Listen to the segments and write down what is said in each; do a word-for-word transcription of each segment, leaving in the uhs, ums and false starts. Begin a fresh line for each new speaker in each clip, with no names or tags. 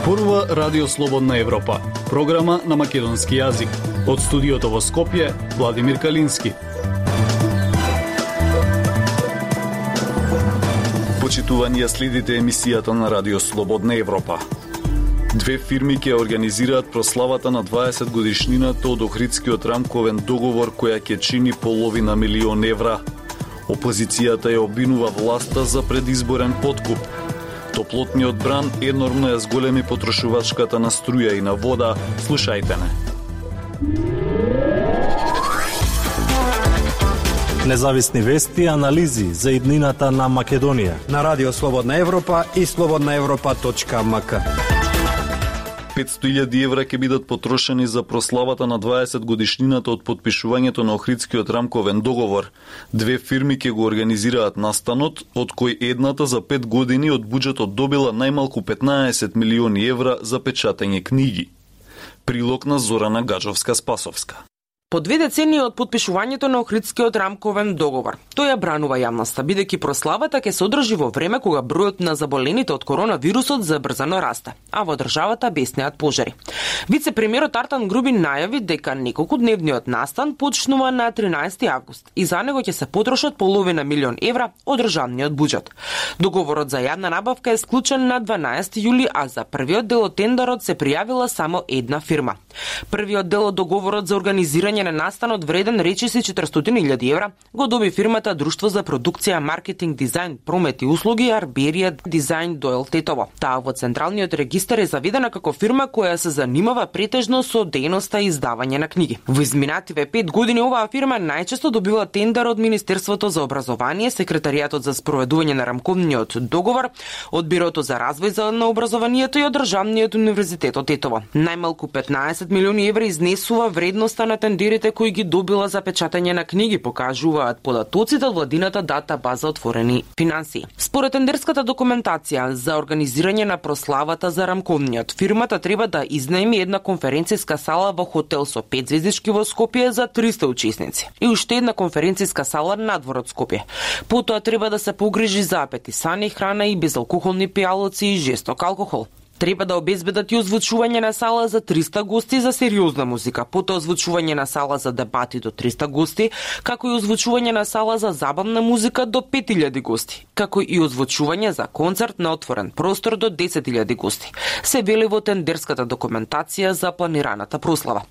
Зборува Радио Слободна Европа, програма на македонски јазик. Од студиото во Скопје, Владимир Калински. Почитувани, ја следите емисијата на Радио Слободна Европа. Две фирми ќе организираат прославата на дваесет годишнината од Охридскиот рамковен договор, која ќе чини половина милион евра. Опозицијата ја обвинува власта за предизборен подкуп. Топлотниот бран енормно ја зголеми потрошувачката на струја и на вода. Слушајте не.
Независни вести и анализи за иднината на Македонија
на Радио Слободна Европа и слободна европа точка ем ка.
петстотини илјади евра ќе бидат потрошени за прославата на дваесет годишнината од потпишувањето на Охридскиот рамковен договор. Две фирми ќе го организираат настанот, од кој едната за пет години од буџетот добила најмалку петнаесет милиони евра за печатање книги. Прилог на Зорана Гаджовска-Спасовска.
По две децении од потпишувањето на Охридскиот рамковен договор, тој ја бранува јавноста, бидејќи прославата ќе се одржи во време кога бројот на заболените од коронавирусот забрзано расте, а во државата беснеат пожари. Вице-премиерот Артан Грубин најави дека неколкудневниот настан почнува на тринаесети август и за него ќе се потрошат половина милион евра од државниот буџет. Договорот за јавна набавка е склучен на дванаесети јули, а за првиот дел од тендерот се пријавила само една фирма. Првиот дел од договорот за организирање на настанот вреден речиси четиристотини илјади евра го доби фирмата Друштво за продукција, маркетинг, дизајн, промет и услуги Арберија Дизајн Дойл Тетово. Таа во централниот регистар е заведена како фирма која се занимава претежно со дејноста и издавање на книги. Во изминативе пет години оваа фирма најчесто добива тендер од Министерството за образование, Секретаријатот за спроведување на рамковниот договор, од Бирото за развој на образованието и од Државниот универзитет од Тетово. Најмалку петнаесет милиони евра изнесува вредноста на тендерите кои ги добила за печатање на книги, покажуваат податоците од владината дата база отворени финансии. Според тендерската документација за организирање на прославата за рамковниот, фирмата треба да изнаеми една конференцијска сала во хотел со пет звездички во Скопје за триста учесници и уште една конференцијска сала надвор од Скопје. Потоа треба да се погрижи за апетисани, храна и безалкохолни пијалоци и жесток алкохол. Треба да обезбедат и озвучување на сала за триста гости за сериозна музика, потоа озвучување на сала за дебати до триста гости, како и озвучување на сала за забавна музика до пет илјади гости, како и озвучување за концерт на отворен простор до десет илјади гости. Се вели во тендерската документација за планираната прослава.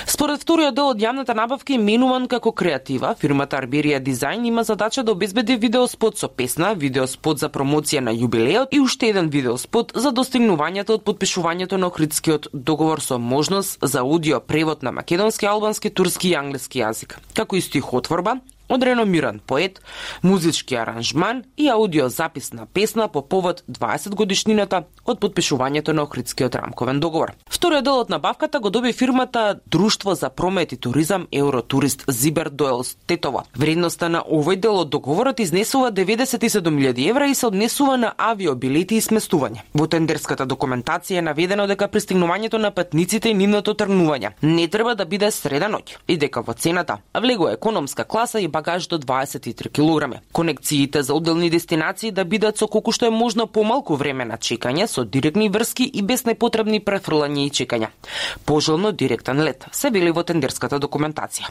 Според вториот дел од јавната набавка, именуван како креатива, фирмата Арберија Дизајн има задача да обезбеди видеоспот со песна, видеоспот за промоција на јубилеот и уште еден видеоспот за достигнување од подпишувањето на Охридскиот договор со можност за аудио превод на македонски, албански, турски и англиски јазик, како и стихотворба од реномиран поет, музички аранжман и аудио запис на песна по повод дваесет годишнината од подпишувањето на Охридскиот рамковен договор. Вториот дел од набавката го доби фирмата Друштво за промет и туризам Евротурист Зибер Дойл Тетово. Вредноста на овој дел од договорот изнесува деветдесет и седум илјади евра и се однесува на авиобилети и сместување. Во тендерската документација е наведено дека пристигнувањето на патниците и нивното тргнување не треба да биде среда ноќ и дека во цената влегува економска класа и багаж до дваесет и три килограми. Конекциите за одделни дестинации да бидат со колку што е можно помалку време на чекање, со директни врски и без непотребни префрлања и чекања. Пожелно директен лет, се вели во тендерската документација.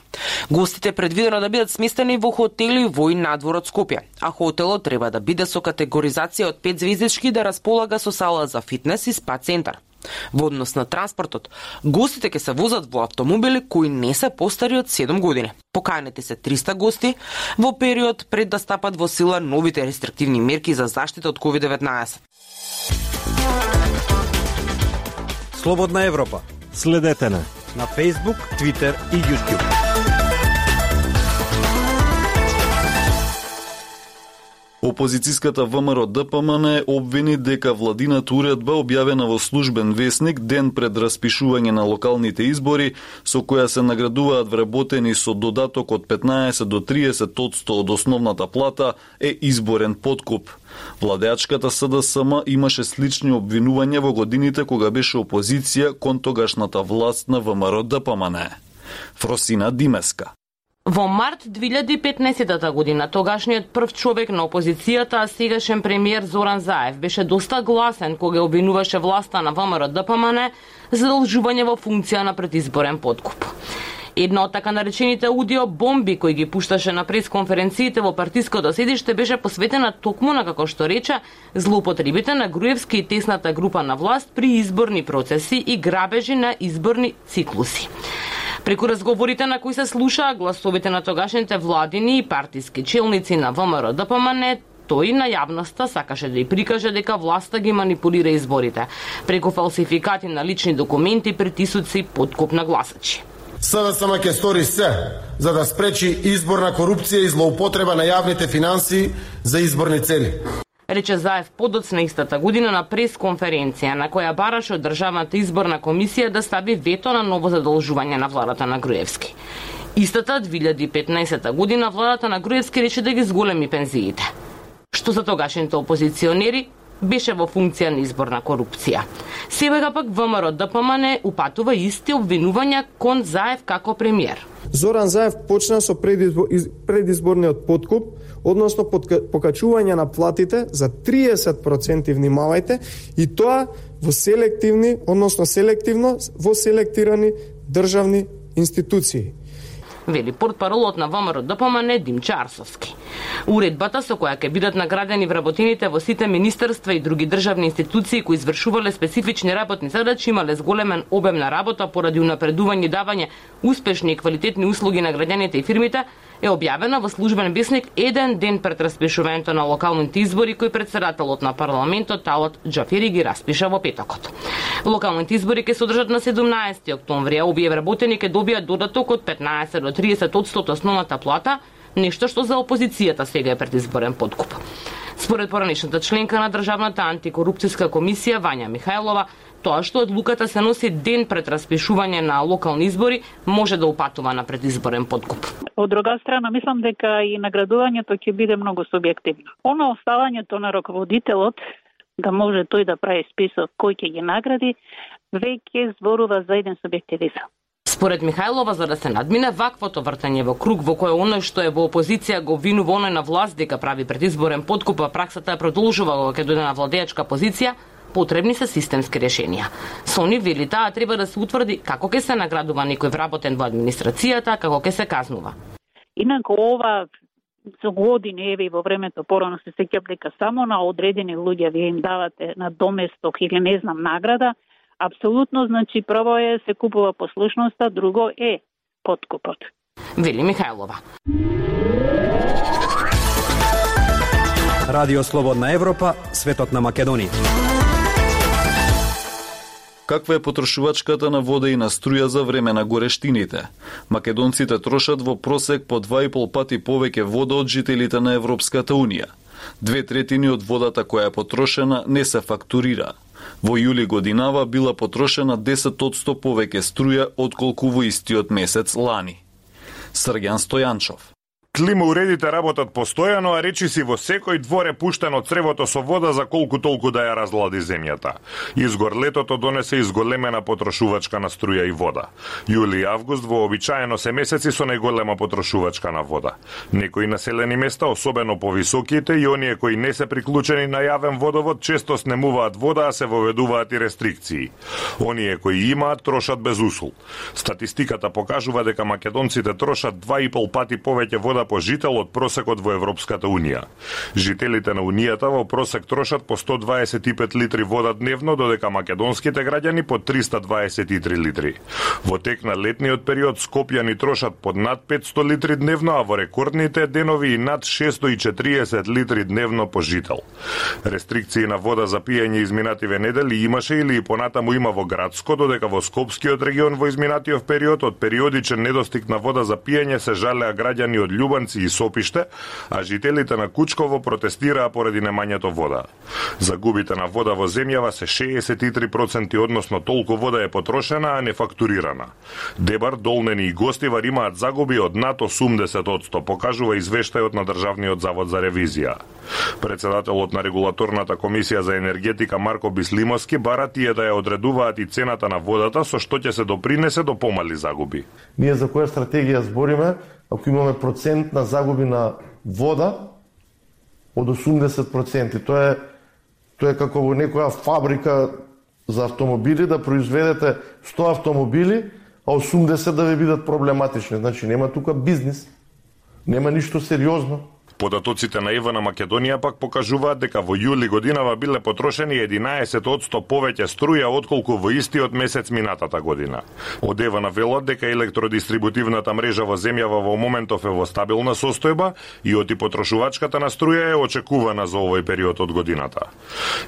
Гостите предвидено да бидат сместени во хотели во и надвор од Скопје, а хотелот треба да биде со категоризација од пет звездички да располага со сала за фитнес и спа центар. Во однос на транспортот, гостите ќе се возат во автомобили кои не се постари од седум години. Поканети се триста гости во период пред да стапат во сила новите рестриктивни мерки за заштита од ковид деветнаесет.
Слободна Европа.
Следете на
на Facebook, Twitter и YouTube.
Опозицијската ВМРО Д П М Н обвини дека владината уредба објавена во службен весник ден пред распишување на локалните избори, со која се наградуваат вработени со додаток од петнаесет до триесет одсто од основната плата, е изборен подкуп. Владеачката С Д С М имаше слични обвинувања во годините кога беше опозиција кон тогашната власт на ВМРО Д П М Н. Фросина Димеска.
Во март две илјади и петнаесетта година тогашниот прв човек на опозицијата, а сегашен премиер Зоран Заев, беше доста гласен кога обвинуваше власта на ВМРО Д П М Н за задолжување во функција на предизборен подкуп. Една од така наречените аудио бомби кои ги пушташе на пресконференциите во партиското седиште беше посветена токму на, како што рече, злоупотребите на Груевски и тесната група на власт при изборни процеси и грабежи на изборни циклуси. Преку разговорите на кои се слушаа гласовите на тогашните владини и партиски челници на ВМРО Д П М Н, тој на јавноста сакаше да ја прикаже дека власта ги манипулира изборите преку фалсификати на лични документи, притисоци, подкуп на гласачи.
С Д С М ќе стори се за да спречи изборна корупција и злоупотреба на јавните финансии за изборни цели.
Рече Заев подоцна истата година на пресконференција на која бараше од Државната изборна комисија да стави вето на ново задолжување на владата на Груевски. Истата две илјади и петнаесетта година владата на Груевски рече да ги зголеми пензиите, што за тогашните опозиционери беше во функција на изборна корупција. Сега пак ВМРО Д П М Н упатува исти обвинувања кон Заев како премиер.
Зоран Заев почна со предизбор, предизборниот подкуп, односно покачување на платите за триесет проценти, внимавајте, и тоа во селективни, односно селективно во селектирани државни институции.
Вели портпаролот на ВМРО Д П М Н Димчо Арсовски. Уредбата со која ќе бидат наградени вработените во сите министерства и други државни институции кои извршувале специфични работни задачи имале зголемен обем на работа поради унапредување и давање успешни и квалитетни услуги на граѓаните и фирмите, е објавена во службен весник еден ден пред распишувањето на локалните избори кои председателот на парламентот Талат Џафери ги распиша во петокот. Локалните избори ќе се одржат на седумнаесети октомври, а овие вработени ќе добијат додаток од петнаесет до триесет одсто основната плата, нешто што за опозицијата сега е предизборен подкуп. Според поранешната членка на Државната антикорупцијска комисија Вања Михајлова, тоа што одлуката се носи ден пред распишување на локални избори може да упатува на предизборен подкуп.
Од друга страна, мислам дека и наградувањето ќе биде многу субјективно. Оно оставањето на раководителот да може тој да прави список кој ќе ги награди, веќе зборува за еден субјективизам.
Според Михајлова, за да се надмине ваквото вртање во круг во кој оној што е во опозиција го обвинува оној на власт дека прави предизборен подкуп, а праксата е продолжува кога ќе дојде на владеачка позиција, потребни се системски решенија. Сони вели таа треба да се утврди како ќе се наградува некој вработен во администрацијата, како ќе се казнува.
Инаку ова за години, еве во времето порано се сеќавам дека само на одредени луѓе вие им давате на доместок или не знам награда. Апсолутно, значи, прво е се купува послушноста, друго е подкупот.
Вели Михајлова.
Радио Слободна Европа, светот на Македонија.
Каква е потрошувачката на вода и на струја за време на горештините? Македонците трошат во просек по два и пол пати повеќе вода од жителите на Европската Унија. Две третини од водата која е потрошена не се фактурира. Во јули годинава била потрошена десет одсто повеќе струја отколку во истиот месец лани. Срѓан Стојанчов.
Климауредите работат постојано, а речиси во секој двор е пуштено цревото со вода за колку толку да ја разлади земјата. Изгор летото донесе изголемена потрошувачка на струја и вода. Јули и август вообичаено се месеци со најголема потрошувачка на вода. Некои населени места, особено повисоките и оние кои не се приклучени на јавен водовод, често снемуваат вода, а се воведуваат и рестрикции. Оние кои имаат трошат без усул. Статистиката покажува дека македонците трошат два и пол пати повеќе вода по жител од просекот во Европската Унија. Жителите на Унијата во просек трошат по сто дваесет и пет литри вода дневно, додека македонските граѓани по триста дваесет и три литри. Во тек на летниот период скопјани трошат под над петсто литри дневно, а во рекордните денови и над шестстотини и четириесет литри дневно по жител. Рестрикции на вода за пиење изминативе недели имаше или и понатаму има во градско, додека во Скопскиот регион во изминатиот период од периодичен недостиг на вода за пиење се жалеа граѓани од Љубовица и Сопиште, а жителите на Кучково протестираа поради немањето вода. Загубите на вода во земјава се шеесет и три проценти, односно толку вода е потрошена, а не фактурирана. Дебар, Долнени и Гостивар имаат загуби од над осумдесет одсто, покажува извештајот на Државниот завод за ревизија. Председателот на регулаторната комисија за енергетика Марко Бислимовски бара тие да ја одредуваат и цената на водата, со што ќе се допринесе до помали загуби.
Ние за која стратегија збориме?
ако имаме процент на загуби на вода од осумдесет проценти. Тоа е тоа е како во некоја фабрика за автомобили да произведете сто автомобили, а осумдесет да ви бидат проблематични. Значи нема тука бизнис. Нема ништо сериозно.
Податоците на ЕВ на Македонија пак покажуваат дека во јули годинава биле потрошени единаесет одсто повеќе струја отколку во истиот месец минатата година. Од ЕВ на велат дека електродистрибутивната мрежа во земјава во моментов е во стабилна состојба и оти потрошувачката на струја е очекувана за овој период од годината.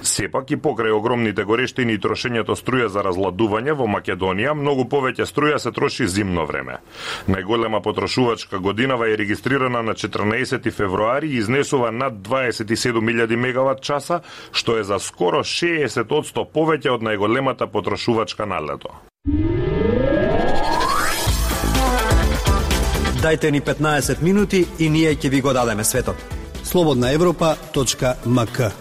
Сепак и покрај огромните горештини и трошењето струја за разладување во Македонија, многу повеќе струја се троши зимно време. Најголема потрошувачка годинава е регистрирана на четрнаесети февруари и изнесува над дваесет и седум илјади мегават часа, што е за скоро шеесет одсто повеќе од најголемата потрошувачка на лето.
Дајте ни петнаесет минути и ние ќе ви го дадеме светот. слободна европа точка ем ка.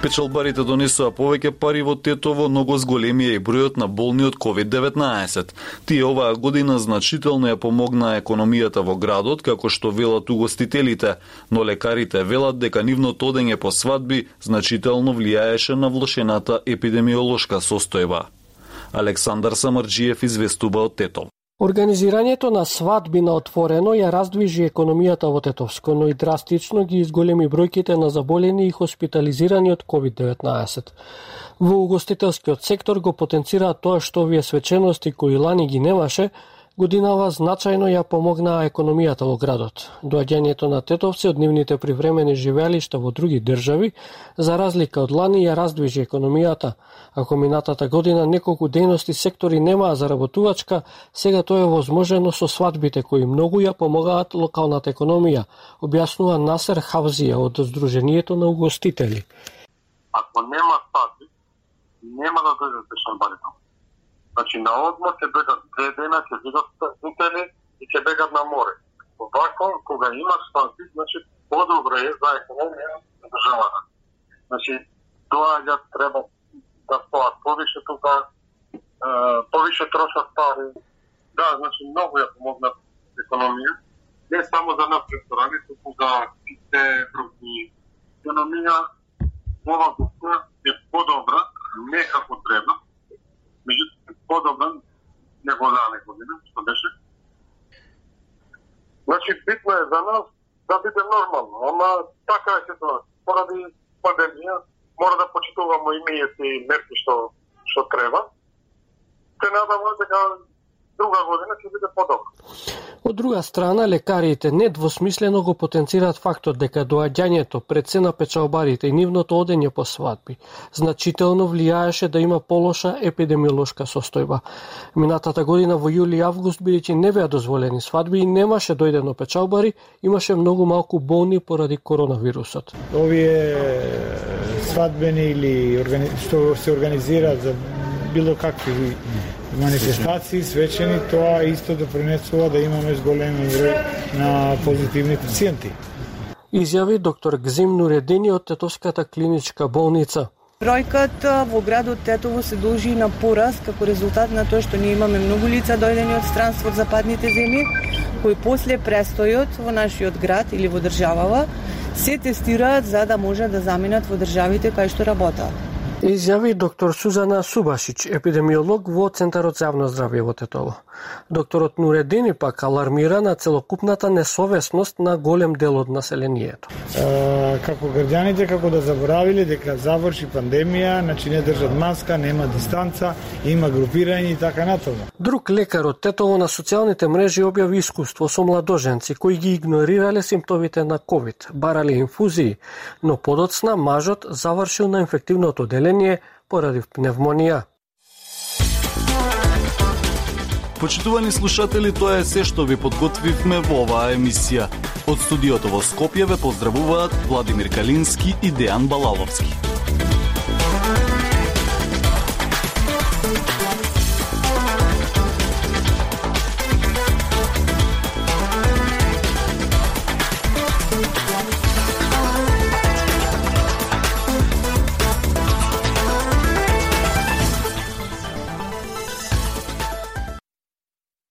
Печалбарите донесоа повеќе пари во Тетово, но го зголемија и бројот на болни од ковид деветнаесет. Тие оваа година значително ја помогнаа економијата во градот, како што велат угостителите, но лекарите велат дека нивното одење по свадби значително влијаеше на влошената епидемиолошка состојба. Александар Самарџиев известува од Тетово.
Организирањето на свадби на отворено ја раздвижи економијата во Тетовско, но и драстично ги изголеми бројките на заболени и хоспитализирани од ковид деветнаесет. Во угостителскиот сектор го потенцира тоа што овие свечености кои лани ги немаше, годинава значајно ја помогнаа економијата во градот. Доаѓањето на тетовци од нивните привремени живеалишта во други држави, за разлика од лани, ја раздвижи економијата. Ако минатата година неколку дејности сектори немаа заработувачка, сега тоа е возможено со свадбите кои многу ја помогаат локалната економија, објаснува Насер Хавзија од Сдруженијето на угостители.
Ако нема свадби, нема да дојдат пешамбарите. Значи на одмор ќе бегат две дена, ќе бидат студени и ќе бегат на море. Овако, кога имаш свадби, значи подобро е за економија на државата. Значи, доаѓаат, треба да стоат повише тука, повише трошат пари. Да, значи многу ја помогнат економија. Не само за нас ресторани, туку за сите други. Економија ова година е подобра, не како треба. Меѓутоа подобра него лане година, што беше. Значи, битно е за нас да биде нормално, ама така е ситуација. Поради пандемија, мора да почитуваме и ние си мерки што, што треба. Се надаме дека друга година ќе биде подобро.
Од друга страна, лекарите недвосмислено го потенцираат фактот дека доаѓањето пред се на печалбарите и нивното одење по свадби значително влијаеше да има полоша епидемиолошка состојба. Минатата година во јули и август, бидејќи не беа дозволени свадби и немаше дојдено печалбари, имаше многу малку болни поради коронавирусот.
Овие свадбени или органи... што се организираат за било какви манифестации, свечени, тоа исто допринесува да имаме зголемен број на позитивни пациенти.
Изјави доктор Гзим Нуредини од Тетовската клиничка болница.
Бројката во градот Тетово се должи на пораст како резултат на тоа што ние имаме многу лица дојдени од странство од западните земји, кои после престојот во нашиот град или во државава се тестираат за да може да заминат во државите кај што работат.
Изјави доктор Сузана Субашич, епидемиолог во Центарот за јавно здравје во Тетово. Докторот Нуредини пак алармира на целокупната несовесност на голем дел од населението.
А, како граѓаните како да заборавиле дека заврши пандемија, значи не држат маска, нема дистанца, има групирање и така натаму.
Друг лекар од Тетово на социјалните мрежи објави искуство со младоженци кои ги игнорирале симптомите на ковид, барале инфузии, но подоцна мажот завршил на инфективното одделение поради пневмонија.
Почитувани слушатели, тоа е се што ви подготвивме во оваа емисија. Од студиото во Скопје ве поздравуваат Владимир Калински и Дејан Балаловски.